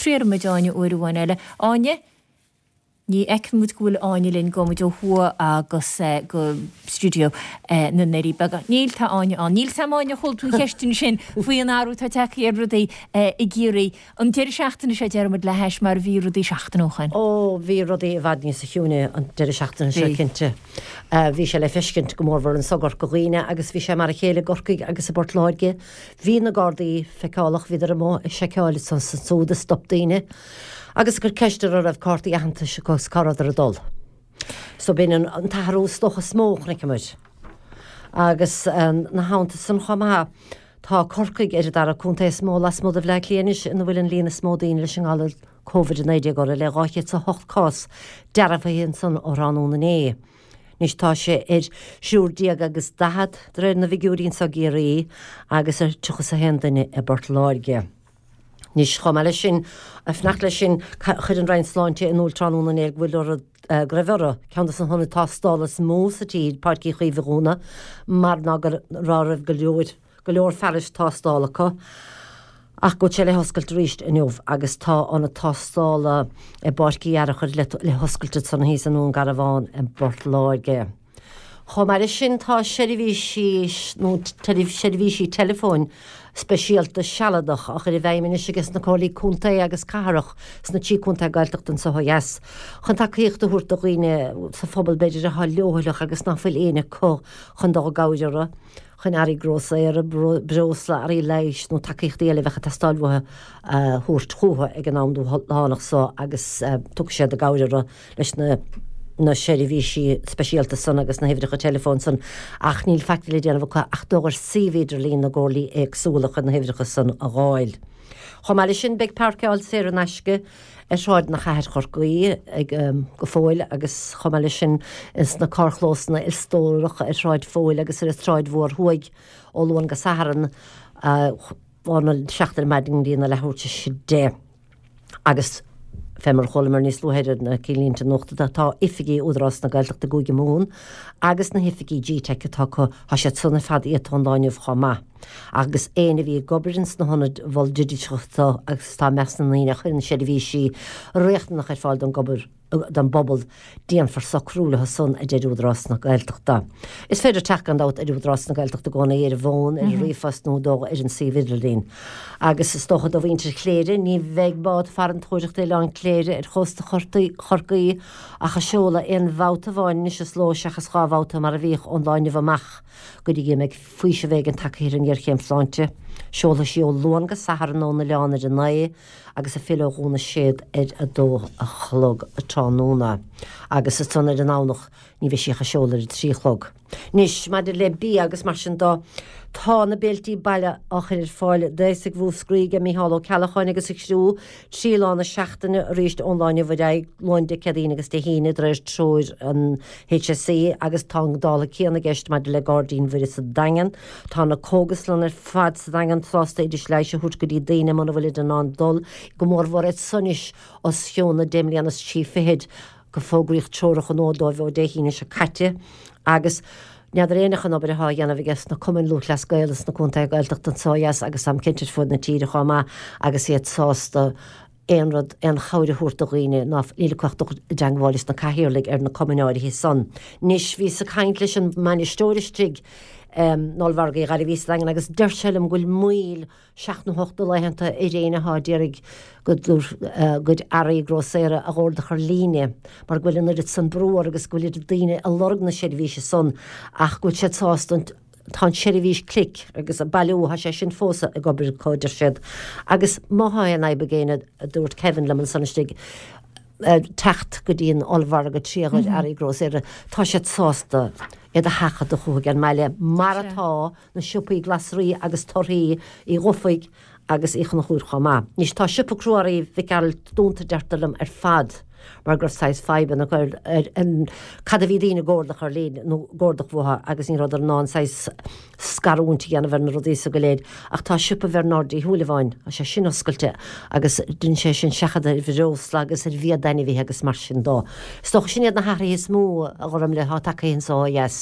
Triailfidh muid Áine uair amháin eile. Áine? Ní fheiceann muid go bhfuil Áine linn, gabhfaidh muid ó thuaidh agus go stiúideo na nDoirí Beaga. Níl, tá Áine ann. Níl 's a'm Áine, chuala tú an cheist ansin faoi an athrú atá tagtha ar rudaí i gCiarraí. An deireadh seachtaine seo déarfaidh muid le hais mar a bhí rudaí seachtain ó shoin. Ó, bhí rudaí i bhfad níosa chiúine an deireadh seachtaine seo, cinnte. Bhí sé le feiscint go mórmhór anso i gCorca Dhuibhne agus bhí sé mar a chéile i gCorcaigh agus i bPort Láirge. Bhí na Gardaí feiceálach, bhíodar amuigh ag seiceáil anso is ansúd, ag stop daoine agus ag cur ceist orthu an raibh cártaí aitheantais acu agus cá rabhadar ag dul. So b'in an t-athrú is dócha is mó a chonaiceamar. Agus ina theannta san chomh maith, tá Corcaigh ar an dara contae is mó lasmuigh de Bhleá Cliath anois ina bhfuil an líon is mó daoine leis an ngalar Covid-19 orthu, le 208 cás dearbhaithe ansan ó thráthnóna inné. Anois tá sé ar thriúr déag agus 40 de réir na bhfigiúirí anso i gCiarraí agus ar 31 duine i bPort Láirge. Anois, chomh maith leis sin, ag fanacht leis sin, chuir an Roinn Sláinte in iúl tráthnóna inné go bhfuil orthu, go raibh orthu, ceann de na hionaid tástála is mó sa tír, Páirc Uí Chaoimh a dhúnadh mar ná go raibh go leor go leor fearais tástála acu ach go bhfuil sé le hoscailt arís inniu agus tá ionad tástála i bPáirc Uí Fhearachair le hoscailt ansan thíos i nDún Garbhán i bPort Láirge. Chomh maith leis sin tá seirbhísí nó seirbhísí teileafóin speisialta sealadach á chur i bhfeidhm anois ages na Comhairlí Contae agus Cathrach sna trí contae Gaeltachta anso ó dheas chun tacaíocht a thabhairt do dhaoine sa phobal b'fhéidir atá leochaileach agus ná fuil éinne acu chun dul i gcabhair orthu. chun earraí grósaera, breosla, earraí leighis nó tacaíochtaí eile a bheadh ag teastáil uathu a thabhairt chucu ag an am dúshlánach so agus tiocfaidh siad i gcabhair orthu leis na na seirbhísí speisialta san agus na huimhreacha teileafóin san ach níl faic le déanamh acu ach dul ar suíomh idirlín na gcomhairlí éagsúla chun na huimhreacha san a dh'fháil. Chomh maith leis sin beidh páirceáil saor in aisce ar shráideanna Chathair Chorcaí ag go fóill agus chomh maith leis sin sna carrchlósanna ilstórach ar Shráid Phóil agus ar an tSráid Mhór Thuaidh ó Luan go Satharn óna 7 ar maidin go dtí na leathuair tar éis 10. Agus fé mar a chualamar níos luaithe ar na cinnlínte nuachta tá oifigí Údarás na Gaeltachta i gCúige Mumhan agus na hoifigí GTeic atá acu, tá siad san ar fad iata ón lá inniu chomh maith. Agus éinne a bhí ag obair ins na hionaid mhol digiteacha agus atá i measc na ndaoine a chuireann seirbhísí riachtanach ar fáil don don bpobal, déanfar socrú leo san, a deir Údarás na Gaeltachta. Is féidir teacht gan dabht ar Údarás na Gaeltachta i gcónaí ar an bhfón, ar an ríomhphost nó dul ar an suíomh idirlín. Agus is dócha do mhuintir Chléire, ní bheidh bád farantóireachta Oileán Cléire ar chósta Chorcaí ach ag seoladh aon bhabhta amháin anois sa ló seachas 2 bhabhta mar a bhíodh ón lá inniu amach go dtí go mbeidh faoiseamh éigin tagtha ar an ngéarchéim sláinte. Seolfaidh sí ó Luan go Satharn ón oileán ar a 9 agus ag filleadh ó Dhún na Séad ar a 2 a chlog tráthnóna. Agus ansan ar an nDomhnach ní bheidh sí ach ag seoladh ar a 3 a chlog. Anois, maidir le bia agus mar sin do, tá na béiltí baile á chur ar fáil d'aosaigh Mhúscraí ag Micheál Ó Ceallacháin agus a chriú 3 lá na seachtaine arís ón lá inniu ar aghaidh, Luan, Dé Céadaoin agus Dé hAoine, de réir treoir an HSE agus tá an dála céanna i gceist maidir le Gairdín Mhuire sa Daingean. Tá na cógaslanna ar fad sa Daingean sásta oidis leighis a thabhairt go dtí daoine muna bhfuilid in ann dul, go mórmhór iad san anois os cionn na deich mbliana is trí fichid, go fógraíodh treoracha nua dóibh ó Dé hAoine seo caite agus n'fheadar éinne an obair atá á dhéanamh aige sna cumainn Lúthchleas Gael sna contaetha Gaeltachta anseo ó dheas agus táim cinnte ar fud na tíre chomh maith agus iad sásta aon rud, aon chabhair a thabhairt do dhaoine ná níl acu ach dul i dteangmháil leis na cathaoirligh ar na cumainn áirithe san. Anois, bhíos ag caint leis an mbainisteoir istigh in Ollmhargadh Uí Ghairbhí sa Daingean agus deir sé liom go bhfuil moill seacht nó hocht de laethanta ar éinne atá d'iarraidh a gcuid earraí grósaera a dh'ordach ar líne mar go bhfuil an oiread san brú orthu agus go bhfuil oiread daoine ag lorg na seirbhíse san ach go bhfuil siad sásta an Tá an tseirbhís clic agus bailiú, tá sé sin fós ag obair acu, deir siad. Agus má thá aon fhadhb ag éinne, a dúirt Kevin liom ansan istigh, teacht go dtí an ollmhargadh trí a gcuid earraí grósaera, tá siad sásta iad a sheachadadh chucu ag an mbaile, mar atá na siopaí glasraí agus torthaí Uí Dhufaigh agus Uí Chonchúir chomh maith. Anois tá siopa crua-earraí Mhic Gearailt dúnta deirtear liom ar fad mar go raibh saghas fadhbanna acu ar an cad a bhí daoine ag ordach ar líne nó ag ordach uathu agus ní rabhadar in ann saghas scarúint a dhéanamh ar na rudaí so go léir. Ach tá siopa Bhernard Uí Shúilleabháin, tá sé sin oscailte agus deineann sé sin seachadadh ar bhreosla agus ar bhia d'ainmhithe agus mar sin dó. Is dócha sin iad na hathruithe is mó a Ghormlaith atá tagtha anso ó dheas.